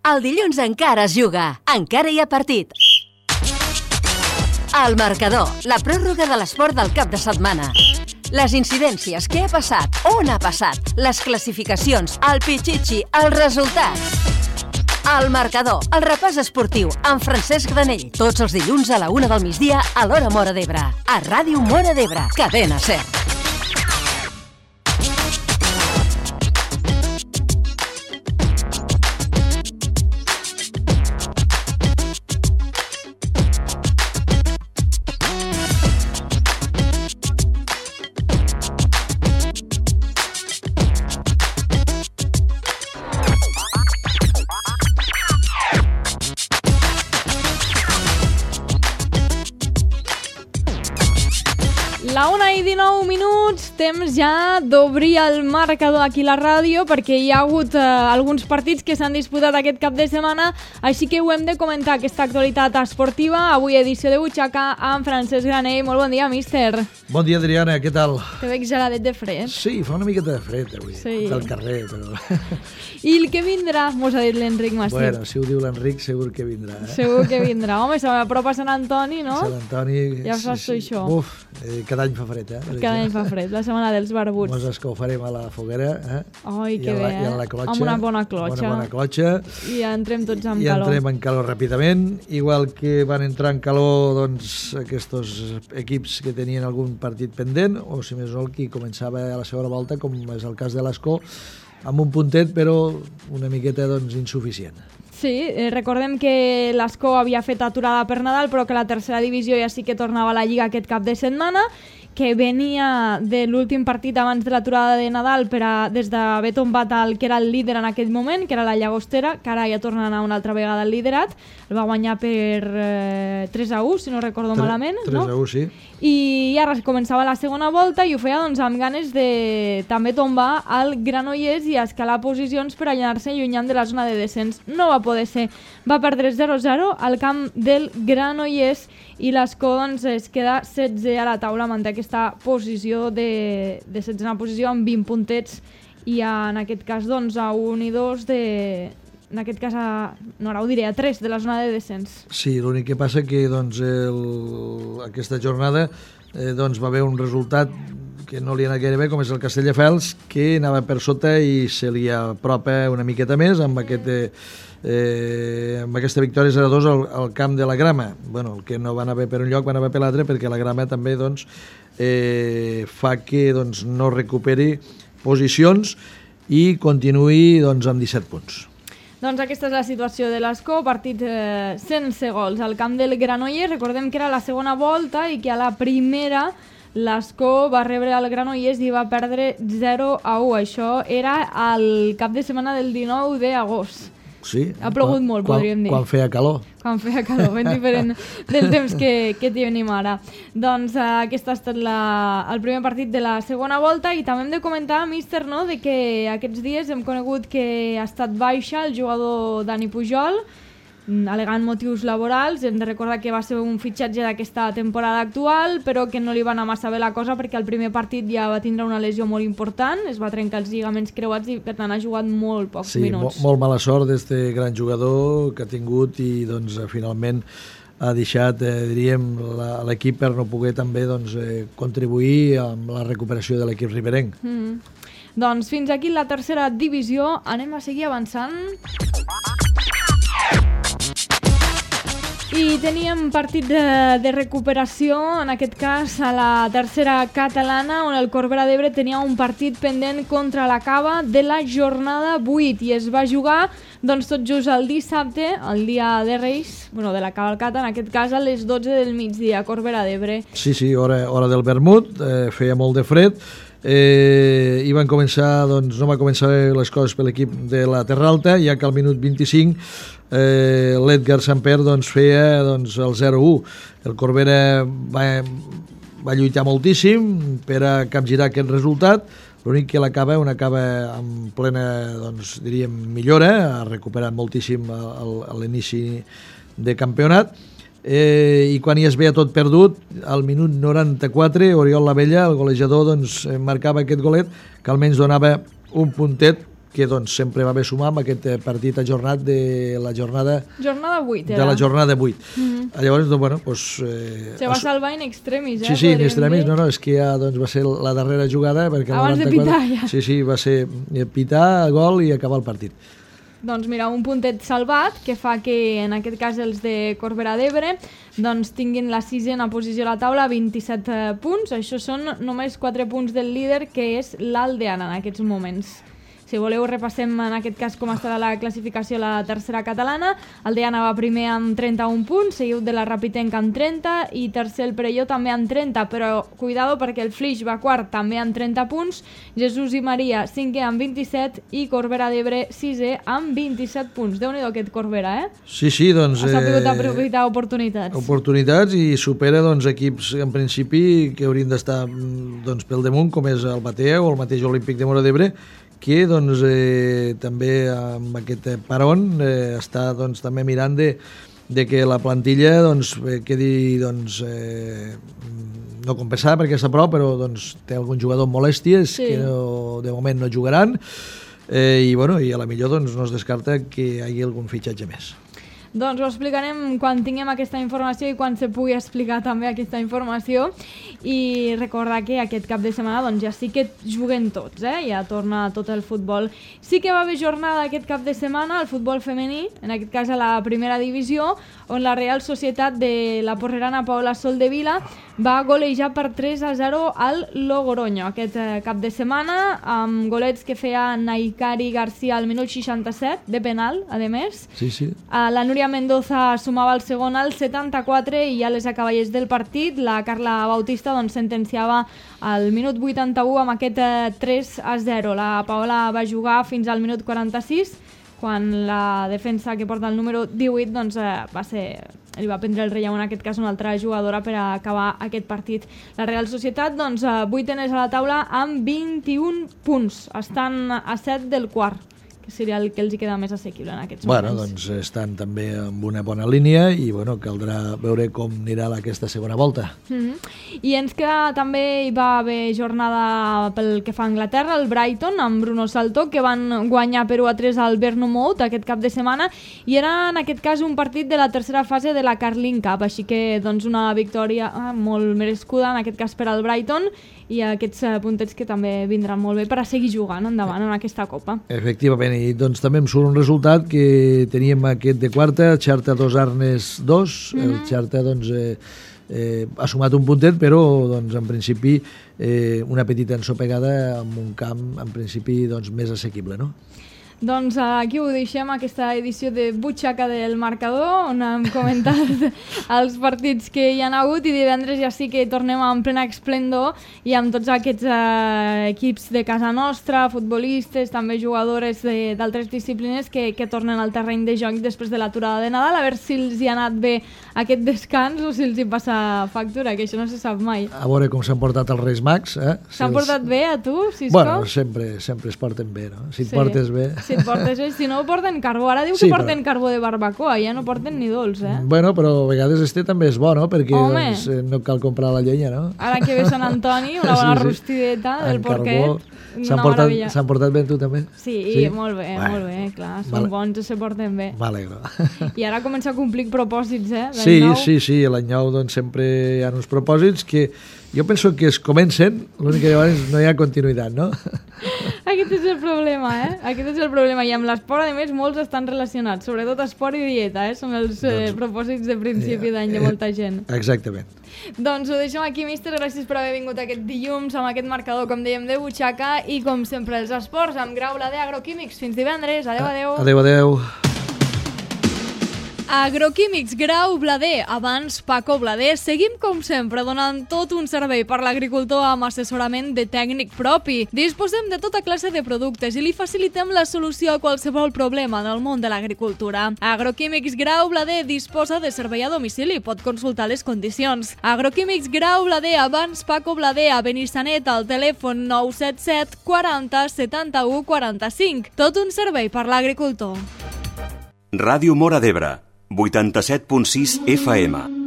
El dilluns encara es juga, encara hi ha partit. El marcador, la pròrroga de l'esport del cap de setmana. Les incidències, què ha passat, on ha passat, les classificacions, el pitxitxi, els resultats. El marcador, el repàs esportiu, amb Francesc Granell. Tots els dilluns a la 1 del migdia a l'hora Móra d'Ebre. A Ràdio Móra d'Ebre, Cadena SER. La 1:19, temps ja d'obrir el marcador aquí a la ràdio perquè hi ha hagut alguns partits que s'han disputat aquest cap de setmana, així que ho hem de comentar, aquesta actualitat esportiva. Avui edició de Butxaca amb Francesc Granell. Molt bon dia, míster. Bon dia, Adriana, què tal? Te veig geladet de fred. Sí, fa una miqueta de fred avui, sí. Del carrer, però... I el que vindrà, mos ha dit l'Enric Mastip. Bueno, si ho diu l'Enric, segur que vindrà. Segur que vindrà. Home, s'apropa Sant Antoni, no? Sant Antoni... Ja saps tu això. Uf, cada any fa fred, Cada any fa fred, la setmana dels barbuts. Mos escaufarem a la foguera, Ai, que bé, i a la clotxa. Amb una bona clotxa. Una bona clotxa. I ja entrem tots en calor. I entrem en calor ràpidament. Igual que van entrar en calor, doncs, aquests equips que tenien algun partit pendent, o si més no el qui començava a la segona volta, com és el cas de l'Escó, amb un puntet, però una miqueta doncs, insuficient. Sí, recordem que l'Escó havia fet aturada per Nadal, però que la tercera divisió ja sí que tornava a la Lliga aquest cap de setmana, que venia de l'últim partit abans de l'aturada de Nadal des d'haver tombat el que era el líder en aquell moment, que era la Llagostera, que ara ja torna a anar una altra vegada al liderat. El va guanyar per 3-1, si no recordo malament. 3-1, sí. I ara començava la segona volta i ho feia doncs, amb ganes de també tombar el Granollers i escalar posicions per anar-se allunyant de la zona de descens. No va poder ser. Va perdre 0-0 al camp del Granollers i l'Escó doncs, es queda 16 a la taula, manté aquesta posició de 16a posició amb 20 puntets i en aquest cas doncs, a 1 i 2 en aquest cas no, ara ho diré, a 3 de la zona de descens. Sí, l'únic que passa que doncs, aquesta jornada doncs, va haver un resultat que no li ha anat gaire bé, com és el Castelldefels, que anava per sota i se li apropa una miqueta més amb aquesta victòria 0-2 al camp de la Grama. Bueno, el que no va anar bé per un lloc va anar bé per l'altre, perquè la Grama també doncs, fa que doncs, no recuperi posicions i continuï doncs, amb 17 punts. Doncs aquesta és la situació de l'Escó, partit sense gols al camp del Granollers. Recordem que era la segona volta i que a la primera l'Escó va rebre el Granollers i va perdre 0-1. Això era el cap de setmana del 19 d'agost. Sí, ha plogut molt, podríem dir. Quan feia calor. Quan feia calor, ben diferent del temps que tenim ara. Doncs aquest ha estat el primer partit de la segona volta i també hem de comentar, míster, no?, de que aquests dies hem conegut que ha estat baixa el jugador Dani Pujol, al·legant motius laborals. Hem de recordar que va ser un fitxatge d'aquesta temporada actual, però que no li va anar massa bé la cosa perquè el primer partit ja va tindre una lesió molt important, es va trencar els lligaments creuats i per tant ha jugat molt pocs minuts. Sí, molt mala sort d'este gran jugador que ha tingut i doncs, finalment ha deixat, diríem, l'equip per no poder també doncs, contribuir amb la recuperació de l'equip riberenc. Doncs fins aquí la tercera divisió, anem a seguir avançant. I teníem partit de recuperació, en aquest cas a la tercera catalana, on el Corbera d'Ebre tenia un partit pendent contra la Cava de la jornada 8 i es va jugar doncs, tot just el dissabte, el dia de Reis, de la cavalcata, en aquest cas a les 12 del migdia, Corbera d'Ebre. Sí, hora del vermut, feia molt de fred. I van començar, doncs, no va començar les coses per l'equip de la Terra Alta, ja que al minut 25 l'Edgar Samper doncs, feia doncs, el 0-1. El Corbera va lluitar moltíssim per a capgirar aquest resultat. L'únic que una Cava en plena, doncs, diríem, millora, ha recuperat moltíssim a l'inici de campionat. I quan hi es veia tot perdut, al minut 94, Oriol Lavella, el golejador, doncs, marcava aquest golet que almenys donava un puntet que doncs, sempre va bé sumar amb aquest partit ajornat de la jornada 8, de la jornada 8. Llavors, doncs, bueno, pues, se va salvar in extremis, Sí, in extremis, no, és que ja doncs, va ser la darrera jugada, perquè abans de pitar, ja. Sí, va ser pitar, gol i acabar el partit. Doncs mira, un puntet salvat que fa que en aquest cas els de Corbera d'Ebre doncs tinguin la 6a posició a la taula, 27 punts. Això són només 4 punts del líder, que és l'Aldeana en aquests moments. Si voleu, repassem en aquest cas com estarà la classificació a la tercera catalana. El Diana va primer amb 31 punts, seguit de la Rapitenca amb 30 i tercer el Perelló també amb 30, però cuidado perquè el Flix va quart també amb 30 punts, Jesús i Maria 5è amb 27 i Corbera d'Ebre 6è amb 27 punts. Déu-n'hi-do aquest Corbera, Sí, doncs... Ha sabut aprofitar oportunitats. Oportunitats i supera doncs, equips en principi que haurien d'estar doncs, pel damunt, com és el Batea o el mateix Olímpic de Móra d'Ebre, que doncs, també amb aquest paron està doncs, també mirant de que la plantilla doncs, quedi doncs, no compensada perquè està a prop, però doncs, té algun jugador amb molèsties que no, de moment no jugaran i a la millor doncs, no es descarta que hi hagi algun fitxatge més. Doncs ho explicarem quan tinguem aquesta informació i quan se pugui explicar també aquesta informació, i recordar que aquest cap de setmana doncs, ja sí que juguen tots, ja torna tot el futbol. Sí que va haver jornada aquest cap de setmana al futbol femení, en aquest cas a la primera divisió, on la Real Societat de la porrerana Paola Soldevila va golejar per 3-0 al Logroño aquest cap de setmana, amb golets que feia Naikari García al minut 67, de penal, a més. Sí. La Núria Mendoza sumava el segon al 74 i ja les acaballers del partit, la Carla Bautista doncs, sentenciava al minut 81 amb aquest 3-0. La Paola va jugar fins al minut 46, quan la defensa que porta el número 18 doncs, li va prendre el relleu, en aquest cas una altra jugadora, per a acabar aquest partit. La Real Societat, doncs, 8enes a la taula amb 21 punts. Estan a 7 del quart, que seria el que els hi queda més assequible en aquests moments. Doncs estan també amb una bona línia i caldrà veure com anirà aquesta segona volta. I ens queda també, hi va haver jornada pel que fa a Anglaterra, el Brighton amb Bruno Salto, que van guanyar per 1-3 al Bournemouth aquest cap de setmana, i era en aquest cas un partit de la tercera fase de la Carling Cup, així que doncs, una victòria molt merescuda en aquest cas per al Brighton, i aquests puntets que també vindran molt bé per a seguir jugant endavant en aquesta Copa. Efectivament, i doncs també em surt un resultat que teníem aquest de quarta, Xarta 2 Arnes 2, el Xarta doncs, ha sumat un puntet, però doncs, en principi una petita ensopegada amb un camp en principi doncs, més assequible, no? Doncs aquí ho deixem, aquesta edició de Butxaca del Marcador, on hem comentat els partits que hi ha hagut, i divendres ja sí que tornem en plena esplendor i amb tots aquests equips de casa nostra, futbolistes, també jugadores d'altres disciplines que tornen al terreny de joc després de l'aturada de Nadal, a veure si els hi ha anat bé aquest descans o si els hi passa factura, que això no se sap mai. A veure com s'han portat els Reis Mags. S'han portat bé a tu, Cisco? Bueno, sempre es porten bé, no? Si et portes bé... Si et portes bé, si no porten carbó. Ara diu que porten carbó de barbacoa, ja no porten ni dolç, Bueno, però a vegades també és bo, no? Perquè doncs, no cal comprar la llenya, no? Ara que ve Sant Antoni, una bona rostideta del porquet. S'han portat bé tu també? Sí, molt bé, clar. Són bons i se porten bé. M'alegro. I ara comença a complir propòsits, Sí, l'any nou doncs sempre hi ha uns propòsits que jo penso que es comencen, l'únic que llavors no hi ha continuïtat, no? Aquest és el problema, Aquest és el problema. I amb l'esport, a més, molts estan relacionats. Sobretot esport i dieta, Són els propòsits de principi d'any de molta gent. Exactament. Doncs ho deixem aquí, míster. Gràcies per haver vingut aquest dilluns amb aquest marcador, com dèiem, de butxaca. I com sempre, els esports amb Grau Blader Agroquímics. Fins divendres. Adéu. Adéu. Agroquímics Grau Blader, abans Paco Blader. Seguim com sempre donant tot un servei per l'agricultor amb assessorament de tècnic propi. Disposem de tota classe de productes i li facilitem la solució a qualsevol problema en el món de l'agricultura. Agroquímics Grau Blader disposa de servei a domicili, pot consultar les condicions. Agroquímics Grau Blader, abans Paco Blader, a Benissanet, al telèfon 977 40 71 45. Tot un servei per l'agricultor. Ràdio Móra d'Ebre, 87.6 FM.